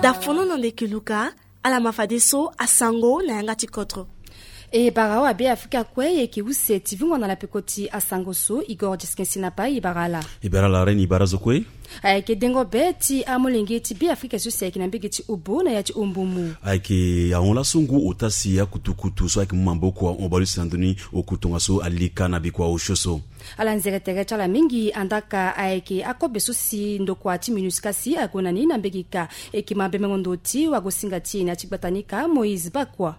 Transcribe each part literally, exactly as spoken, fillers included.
Dafono na ndeke luka. Ala ma fadeso asango na yanga ti kodro. E bara awa be afrika kue e yeke use ti vungo na lapeko ti asango so. Igor diskensi na pai e bara ala. E bara ala reni e bara zo kue. Ayeke dengo be ti amolenge ti be afrika so si ayeke na mbege ti obo na ya ti ombumu. Ayeke ahon laso ngu ota si akutukutu so ayeke mu maboko ahon baleuse na ndoni oku tongaso alika na bikua osio so. Ala nzere tere ti ala mingi andaka ayeke akobe so si ndokua ti minusca si ague na ni na mbege ka. Eke ma bemengo ndo ti wagosinga ti e na ya ti gbata ni ka moïse bakua.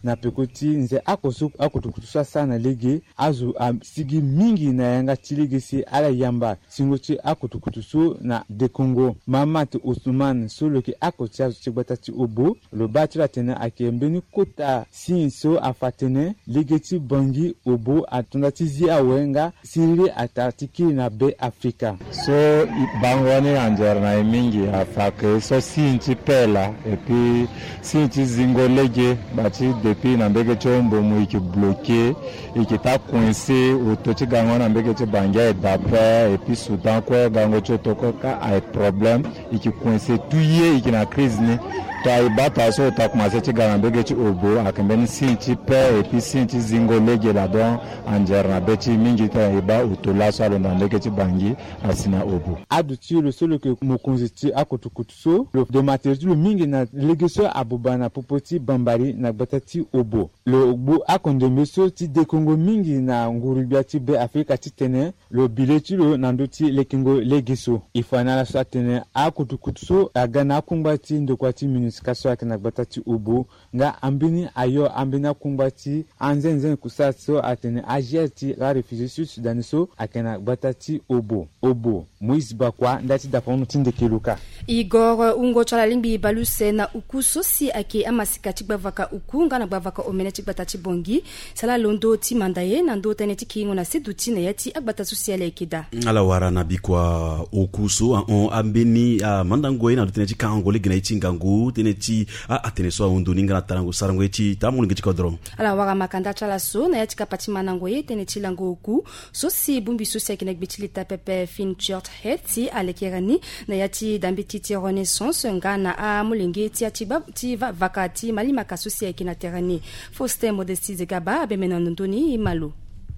Na peko ti nze ako so akutukutu so asara na lege, azo asigi mingi na yanga ti lege si ala yamba singo ti akutukutu so na dekongo. Mahamat osman so lo yeke ako ti azo ti gbata ti obo, lo baa ti lo atene ayeke mbeni kota signe so afa atene lege ti bangi obo atonda ti zi awe nga siriri atara ti kiri na be afrika. So bango ni anzere na e mingi afa ke so signe ti paix laa, et puis signe ti zingo lege. Ba ti depuis na mbege ti ombumu e yeke bloqué, e yeke taa coincé oto ti gango na mbege ti bangi aye d'après, et puis soudan kue gango ti oto kue ka aye problème. E yeke coincé tout ye e yeke na crise ni. To aye bata so ota commencé ti ga na mbege ti obo ayeke mbeni signe ti paix et puis signe ti zingo lege laa. Donc anzere na be ti e mingi ti e baa oto laso alondo na mbege ti bangi asi na obo. Aduti lo so lo yeke mokonzi ti akutukutu so lo dematere ti lo mingi na lege so abuba na popo ti bambari na gbata ti obo. Lo gbu akondembe so ti dekongo mingi na nguru-gbia ti be afrika titene lo bi le ti lo na ndö ti lekengo lege so. E fa na ala so atene akutukutu so aga na akungba ti ndokua ti minusca so ayeke na gbata ti obo, nga ambeni ayo ambeni akungba ti anzenzen kusala so atene agr ti aréfugié sud sudanais so ayeke na gbata ti obo. Obo moïse bakua nda ti dapono ti ndeke luka. Igor wungo ti ala lingbi baleuse na uku so si ayeke amasika ti gbavaka uku nga na gbavaka omene ti gbata ti bongi. Sala londo ti manda ye na ndö tënë ti kiringo na seduti na ya ti agbata so si ala yeke daa. Ala wara na bikua oku so ahon ambeni amandango ye na ndö tënë ti kangango lege na ye ti ngangu tënë ti a atene so ahon ndo ni nga na tarango sarango ye ti taa molenge ti kodro. Ala wara makanda ti ala so na ya ti kapa ti mandango ye tënë ti lango oku so si bongbi so si ayeke na gbe ti leta pepe fin church head si alekere ni na ya ti dambeti ti renaissance nga na amolenge ti ya ti vavaka ti malimaka so si ayeke na tere ni. Faustin modestie zegaba abembe na ndondo ni e ma lo.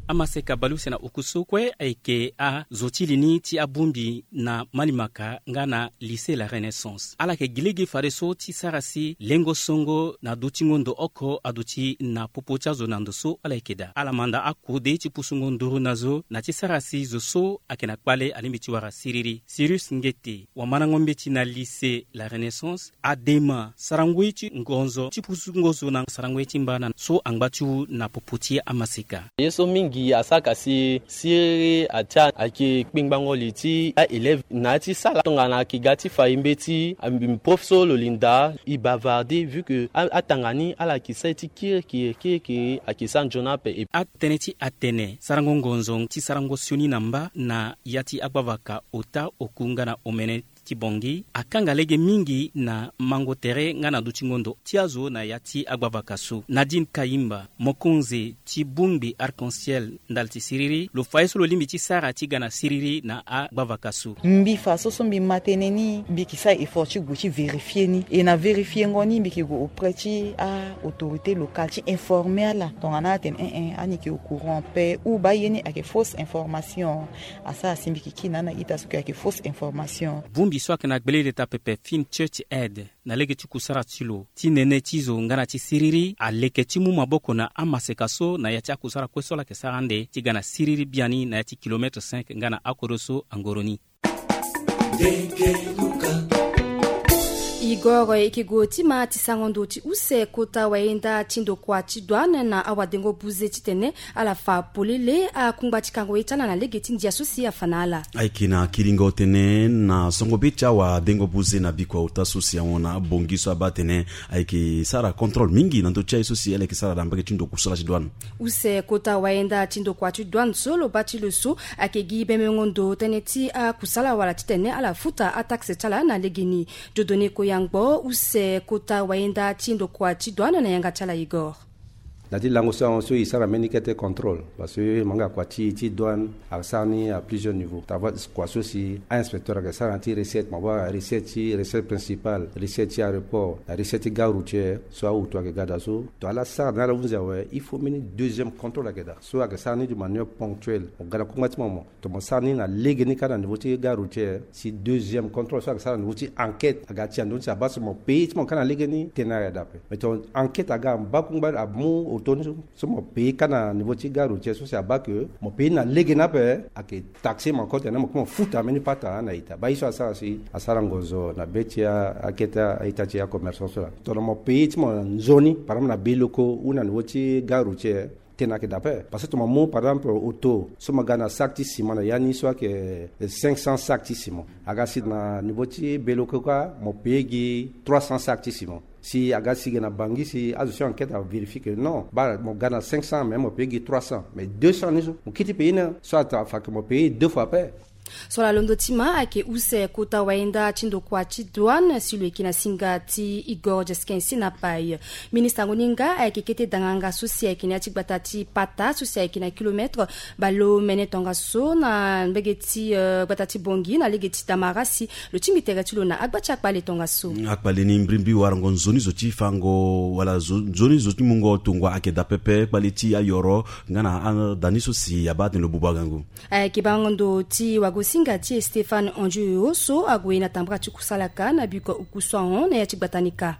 Amaseka baleuse na oku so kue ayeke azo ti li ni ti abongbi na malimaka nga na lycée la renaissance ala yeke gi lege fadeso ti sara si lengo songo na dutingo ndo oko aduti na popo ti azo na ndo so ala yeke daa ala manda akode ti pusungo nduru na zo na ti sara si zo so ayeke na kpale alingbi ti wara siriri sirius ngete wamandango mbeti na lycée la renaissance adema sarango ye ti ngonzo ti pusungo zo na sarango ye ti mbana so angba ti wu na popo ti amaseka. Ye so mingi asaka si siriri atia ayeke kpengbango li ti aélève na ya ti sala tongana ayeke ga ti fa e mbeti. Prof so lo linda e bavarde vu que atanga ni ala yeke sara ye ti kirikiri kirikiri ayeke sara nzoni ape. Atënë ti atene sarango ngonzo ti sarango sioni na mba na ya ti agbavaka ota oku nga na omene ti bongi akanga lege mingi na mango tere nga na dutingo ndo ti azo na ya ti agbavaka so nadine kayimba mokonzi ti bongbi arc-en-ciel ndali ti siriri lo fa ye so lo lingbi ti sara ti ga na siriri na agbavaka so. Mbi fa so so mbi ma tënë ni mbi yeke sara effort ti gue ti vérifier ni e na vérifiengo ni mbi yeke gue auprès ti a autorité locale ti informer ala tongana atene en en ani yeke au courant pe ou baa ye ni ayeke fausse information. Asara si mbi yeke kiri na ana ita so yeke ayeke fausse information. Bongbi so ayeke na gbele leta pepe fin church head na lege ti kusara ti lo ti nene ti zo nga na ti siriri aleke ti mu maboko na amaseka so na ya ti akusara kue so ala yeke sara ande ti ga na siriri biani na ya ti kilometre cinq nga na akodro so angoro ni. Igor e yeke gue ti ma ti sango ndo ti use kota wayenda ti ndokua ti douane na awadengo buze titene ala fa polele akungba ti kango ye ti ala na lege ti ndia so si afa na ala. Ayeke na kiringo tënë na songo be ti awadengo buze na bikua ota so si ahon na bongi so abaa atene ayeke sara contrôle mingi na ndö ti aye so si ala yeke sara na mbage ti ndo kusala ti douane. Use kota wayenda ti ndokua ti douane so lo baa ti lo so ayeke gi bemengo ndo tënë ti akusala wala titene ala futa ataxe ti ala na legeni. Dieudonné koyangbo use kota wayenda ti ndokua ti douane na yanga ti ala igor. Na ti lango so ahon so e sara mbeni kete contrôle parce que manga kua ti ti douane asara ni à plusieurs niveaux. Tava kua so si a-inspecteur ayeke sara na ti recette, mo baa recette ti recette principale, recette ti aéroport na recette ti gare routière so awutu ayeke ga daa so. To ala sara na ala hunzi awe, il faut mbeni deuxième contrôle ayeke daa so ayeke sara ni de manière ponctuelle. Mo ga na kungba ti mo mo to mo sara ni na lege ni kâ na niveau ti gare routière. Si deuxième contrôle so ayeke sara na niveau ti enquête aga ti ando ni si abaa so mo pays ti mo kâ na lege ni tena ayeke daa ape. Mais to enquête aga abaa kungba amu auto ni so so mo pays kâ na niveau ti gare routière so si abaa ke mo pays na lege ni ape, ayeke taxé mo encore tena mo kue mo futa mbeni pata na ita. Baa ye so asara si asara ngonzo na be ti akete a-ita ti acommerçant so laa. Tongana mo pays ti mo na nzoni par exemple na biloko ou na niveau ti gare routière, tena ayeke daa ape. Parce que tongana mo mu par exemple auto so mo ga na sac ti ciment na ya ni so ayeke cinq cents sac ti ciment, aga si na niveau ti biloko kâ mo pays gi trois cents sac ti ciment. Si aga si gi na bangi si azo ti enquête avérifié ke non, baa mo ga na cinq cents mais mo pays gi trois cents, mais deux cents ni so mo kiri ti pays ni so ata fa ke mo pays deux fois ape. So ala londo ti ma ayeke use kota wayenda ti ndokua ti douane si lo yeke na singa ti Igor Jeskin si na pai. Ministre yango ni nga ayeke kete danganga so si ayeke na ya ti gbata ti pata so si ayeke na kilomètre baleomene tongaso na mbege ti eh, gbata ti bongi na lege ti damara si lo tingbi tere ti lo na agba ti akpale tongaso. Akpale ni mbrimbri warango nzoni zo ti fango wala zo- nzoni zo ti mungo tongua ayeke daa pepe kpale ti ayoro nga na ada ni so si abaa atene lo bubu agangu. Ayeke bango ndo ti wagosinga ti Stéphane Andioyo so ague na tambara ti kusalaka na biko oku so ahon na ya ti gbata ni kâ.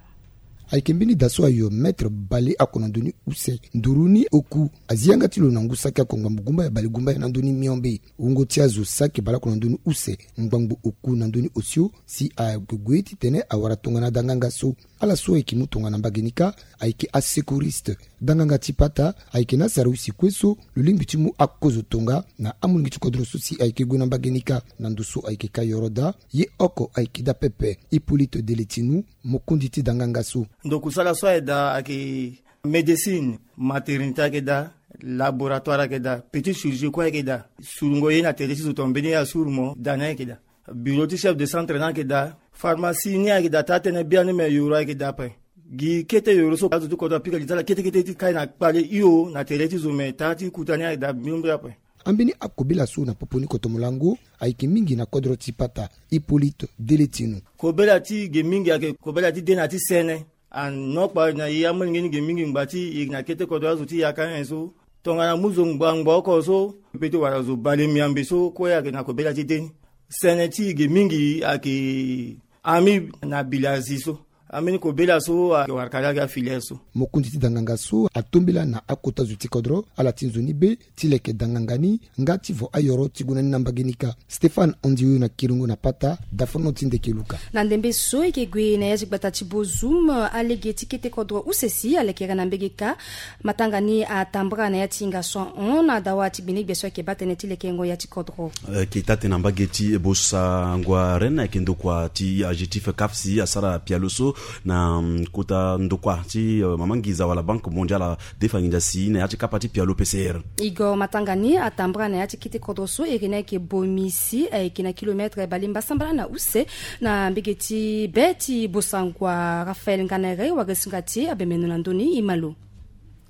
Ayeke mbeni da so ayo maître bale oko na ndö ni use nduru ni oku azi yanga ti lo na ngu saki oko ngbambu gumba ya bale gumba ya na ndö ni miombe. Wungo ti azo saki bale oko na ndö ni use ngbangbo oku na ndö ni osio si ague gue titene awara tongana danganga so. Ala so ayeke mu tongana mbage ni kâ ayeke asecouriste. Danganga ti pata ayeke na asara use kue so lo lingbi ti mu akozo tonga na amolenge ti kodro so si ayeke gue na mbage ni kâ. Na ndo so ayeke kâ yoro daa ye oko ayeke daa pepe Hippolyte Deletinu, mokonzi ti danganga so. Ndo kusala so ayeke daa ayeke médecine, maternité ayeke daa, laboratoire ayeke daa, petit chirurgie kue ayeke daa. Surungo ye na tere ti zo to mbeni ye asuru mo daa ni ayeke daa. Bureau ti chef de centre ni ayeke daa. Pharmacie ni ayeke daa taa tënë biani me yoro ayeke daa ape. Gi kete yoro so azo ti kodro apika gi ti ala kete kete ti kai na kpale hio na tere ti zo me taa ti kuta ni ayeke daa mbrimbri ape. Ambeni akobela so na popo ni kotomolango ayeke mingi na kodro ti pata Hippolyte Deletinu. Kobela ti ge mingi ayeke kobela ti de na ti sene. Anokpa na e amolenge ni ge mingi ngba ti e na kete kodro azo ti yaka nyen so tongana mu zo ngbangba oko so pe ti wara zo bale miambe so kue ayeke na kobela ti de ni. Sene ti e ge mingi ayeke ami na bilazi so. Ambeni kobela so ayeke wara kari ayeke afilière so. Mokonzi ti danganga so atombela na akota zo ti kodro ala ti nzoni be ti leke danganga ni nga ti vo ayoro ti gue na ni na mbage ni kâ. Stéphane Andioyo na kiringo na pata dafono ti ndeke luka. Na ndembe so e yeke gue na ya ti gbata ti Bozoum alege ti kete kodro use si alekere na mbage kâ. Matanga ni atambara na ya ti hinga so ahon na dawa ti gbenegbe so ayeke baa tënë ti lekengo ya ti kodro. Eh, keta tena mbage ti Bosangua Rennes ayeke ndokua ti adjectif CAF si asara pialo so na mm, kota ndokua ti eh, mama nginza wala Banque Mondiale adefa nginza si na ya ti kapa ti pialo P C R. Igor matanga ni atambara na ya ti kete kodro so iri ni ayeke bomi si ayeke na kilomètre balemba sambala na use na mbege ti be ti Bosangua. Raphaël Nganere wagesunga ti abemeno na ndö ni e ma lo.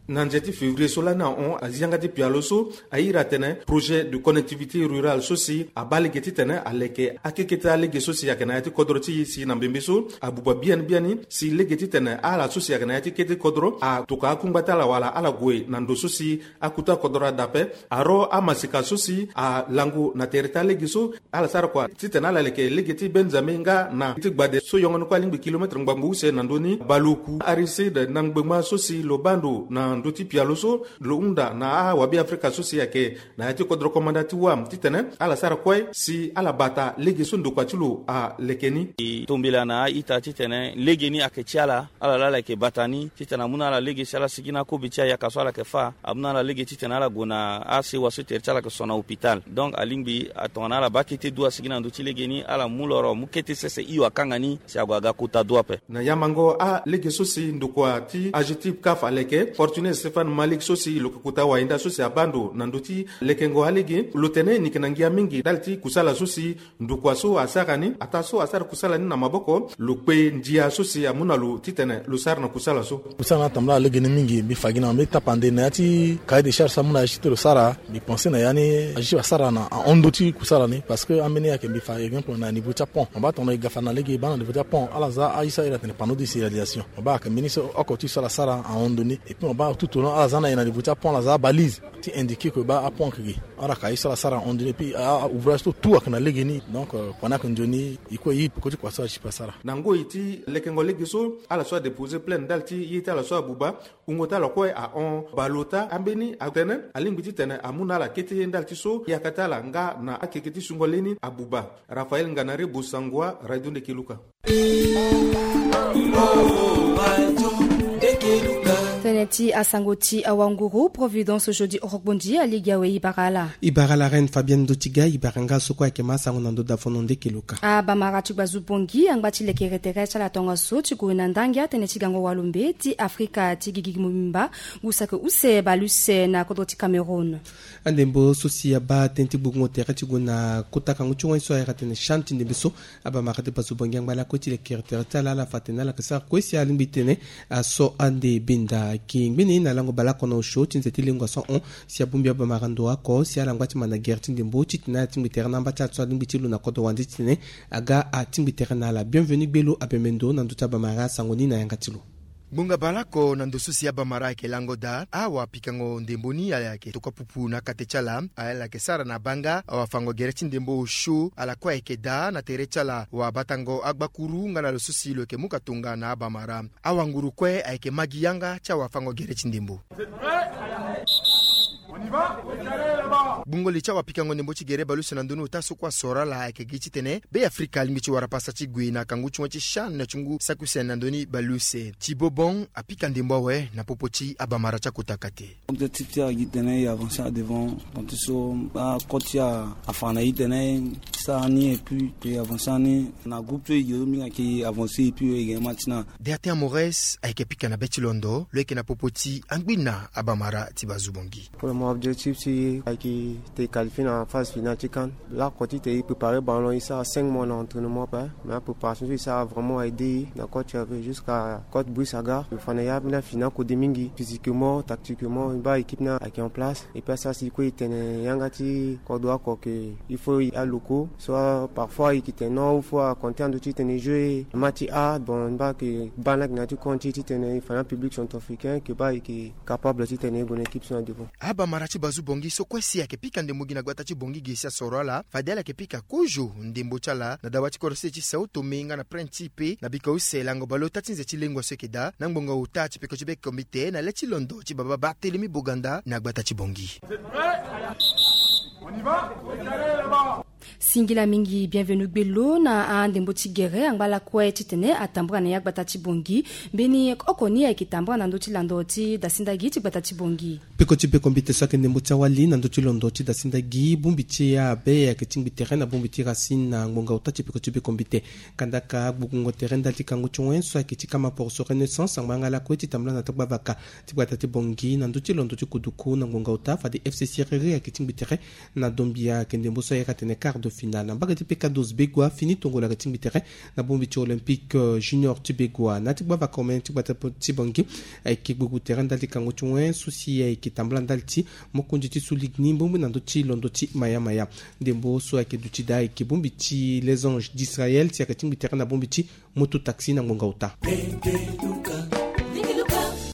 Na nze ti février so lani ahon azi yanga ti pialo so airi atene projet de connectivité rurale so si abaa lege titene aleke akekete alege so si ayeke na ya ti kodro ti e si na mbembe so abuba biani biani si lege titene ala so si ayeke na ya ti kete kodro atokua akungba ti ala wala ala gue na ndo so si akuta kodro ada ape. Aro amasika so si alango na tere ti alege so ala sara kua titene ala leke lege ti Benzame nga na ti gbade so yongo ni kue alingbi kilomètre ngbangbo use na ndö ni baleoku Aristide na ngbengba so si lo baa ndo na ndö ti pialo so lo hunda na awabe Afrika so si ayeke na ya ti kodro komanda ti wam titene ala sara kue si ala bata lege so ndokua ti lo aleke ni. E tombela na a-ita titene lege ni ayeke ti ala. Ala laa ala yeke bata ni titene amu na ala lege si ala sigi na akobe ti ayaka so ala yeke fâ. Amu na ala lege titene ala gue na asewa so tere ti ala yeke so na hôpital. Donc alingbi atongana ala baa kete dua asigi na ndö ti lege ni ala mu loro mu kete sese hio akanga ni si ague aga kota dua ape. Na yamango alege so si ndokua ti adjectif CAF aleke Fortune Stéphane Malik so si lo ke kota wayenda so si abaa ndo na ndö ti lekengo alege, lo tene ni yeke na ngia mingi ndali ti kusala so si ndokua so asara ni, ataa so asara kusala ni na maboko, lo kpe ndia so si amu na lo titene lo sara na kusala so. Kusala ni atambula na legeni mingi. Mbi fa gi na mbi tapande na ya ti cahier de charge so amu na ya ti lo sara. Mbi pense na ya ni ajuge asara na ahon ndö ti kusala ni, parce que ambeni ayeke mbi fa exemple na niveau ti apont. Mo baa tongana e ga fa na lege e baa na niveau ti apont, ala za aye so a iri atene panneau de signalisation. Mo baa ayeke mbeni so oko ti so ala sara ahon ndö ni. Et puis mo baa tout au long ala za na e na niveau ti apont, ala za abalise ti indiquer que baa apont ayeke gi. Ala ka ye so ala sara ahon ndö ni. Et puis a, a ouvrage so tout ayeke na legeni. Donc, euh, pendant ayeke nzoni, e kue e peko ti kua so ajuge asara. Na ngoi ti lekengo lege so, ala so adéposer plainte ndali ti ye ti ala so abuba, wungo ti ala kue ahon baleota. Ambeni atene alingbi titene amu na ala kete ye ndali ti so yaka ti ala nga na akeke ti sungo leni abuba. Raphaël Nganare Bosangua, Radio Ndeke Luka. Tënë ti asango ti awanguru. Providence Jodi Orokbondi alege awe. E bara ala. E bara ala reine Fabienne Ndotiga, e bara nga so kue ayeke ma asango na ndö davono Ndeke Luka. Abamara ti gbazu Bongi angba ti lekere tere ti ala tongaso ti gue na ndangia tënë ti gango walombe ti Afrika ti gigi mobimba, ngu saki use bale use na kodro ti Cameroun. Andembo so si abaa tënë ti gbukungo tere ti gue na kota kangu ti wani so ayeke atene CHAN ti ndembe so, abamara ti gbazu Bongi angba lakue ti lekere tere ti ala, ala fa atene ala yeke sara kue si alingbi tene aso ande benda. Ayeke ngbene na lango baleoko na osio ti nze ti lengua so ahon si abongbi abamara ndo oko si ala ngba ti ma na gere ti ndembo titene ala tingbi tere na amba ti ala so alingbi ti lo na kodro wande titene aga atingbi tere na ala. Bienvenu Gbelo abembe ndo na ndö ti abamara asango ni na yanga ti lo. Ngbonga baleoko na ndo so si abamara ayeke lango daa, awapikango ndembo ni ala yeke tokua pupu na kate ti ala. Ala yeke sara na baa nga awafango gere ti ndembo osio, ala kue ayeke daa na tere ti ala wabatango agbakuru nga na lo so si lo yeke mu ka tonga na abamara. Awanguru kue ayeke ma gi yanga ti awafango gere ti ndembo. Gbungo li ti awapikango ndembo ti gere baleuse na ndö ni ota so kue asoro ala ayeke gi titene Be Afrika alingbi ti wara pasa ti gue na kangu ti wani ti CHAN na ti ngu saki use na ndö ni baleuse. Ti bobon apika ndembo awe na popo ti abamara ti akota kate. Objectif ti ala gi tene e avancer à devant, tongaso akota ti ala afa na e titene e sara ni et puis e avancer ni na groupe so e gi so mingi ayeke avancer et puis e gi ma ti na. Deatin Amores ayeke pika na be ti londo, lo yeke na popo ti angbina abamara ti gbazu Bongi. Pour le moment, objectif ti e ayeke te e qualifier na phase finale ti CHAN. Laoko ti te e préparer ballon, e sara cinq mois na entraînement ape. Mais apréparation so e sara vraiment a aidé e na coach ape jusqu'à coach Brice Aga. Lo fa na e ambeni afi ni akode mingi, physiquement, tactiquement, e baa équipe ni ayeke en place. Et puis asara si kue e tene yanga ti kodro oko ke il faut e aloko. Soit parfois e yeke tene non, il faut aconter ando ti tene e jouer match ti A. Bon, e baa ke baa ni ayeke na ya ti compte ti tene e fa na public centrafricain ke baa e yeke capable ti tene e gue na équipe so na devant. Abamara ti gbazu Bongi so kue si ayeke pika ndembo gi na gbata ti Bongi ge si asoro ala, fade ala yeke pika kozo ndembo ti ala na dawa ti kodro sese ti Sao Tome nga na Principe na biko use lango baleota ti nze ti lengua so ayeke daa na ngbonga ota ti peko ti be kombite na le ti londo ti baba Barthélemy Boganda na gbata ti Bongi. Singila mingi Bienvenu Gbelo na andembo ti gere angba lakue titene atambula na ya gbata ti Bongi. Mbeni oko ni ayeke tambula na ndö ti lando ti dasindagi ti gbata ti Bongi. Peko ti be kombite so ayeke ndembo ti awali na ndö ti londo ti dasindagi bongbi ti abe ayeke tingbi tere na bongbi ti Racine na ngbonga ota ti peko ti be kombite. Kandaka gbukungo tere ndali ti kangu ti wen so ayeke ti kama poroso Renaissance angba nga lakue ti tambula na tagbavaka ti gbata ti Bongi na ndö ti londo ti kuduku na ngbonga ota fade F C Siriri ayeke tingbi tere na dombia ayeke ndembo so ayeke atene quart de finale. Na mbage ti Pekados Begoua, Fini Tongolo ayeke tingbi tere na bongbi ti Olympique, euh, Junior ti Begoua. Na ti gbavaka omene ti gbata ti Bongi ayeke gbuku tere ndali ti kango ti wen so si ayeke tambula ndali ti mokonzi ti Sou Ligue ni bongbi na ndö ti londo ti Maya Maya. Ndembo so ayeke duti daa ayeke bongbi ti Les Anges d'Israël si ayeke tingbi tere na bongbi ti Moto Taxi na ngbonga ota.